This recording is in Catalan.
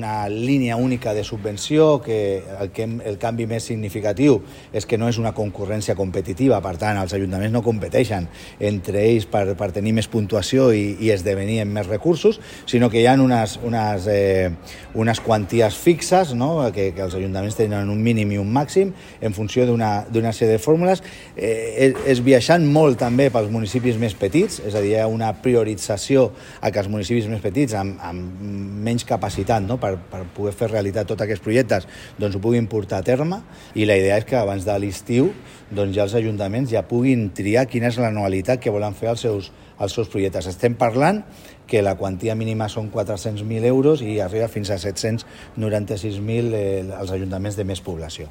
Una línia única de subvenció, que el canvi més significatiu és que no és una concurrència competitiva, per tant, els ajuntaments no competeixen entre ells per tenir més puntuació i esdevenir amb més recursos, sinó que hi ha unes quanties fixes, no? que els ajuntaments tenen un mínim i un màxim en funció d'una sèrie de fórmules. És viatjant molt també pels municipis més petits, és a dir, hi ha una priorització a que els municipis més petits amb menys capacitat, no? per poder fer realitat tots aquests projectes, doncs ho puguin portar a terme, i la idea és que abans de l'estiu doncs ja els ajuntaments ja puguin triar quina és l'anualitat que volen fer els seus projectes. Estem parlant que la quantia mínima són 400.000 euros i arriba fins a 796.000 als ajuntaments de més població.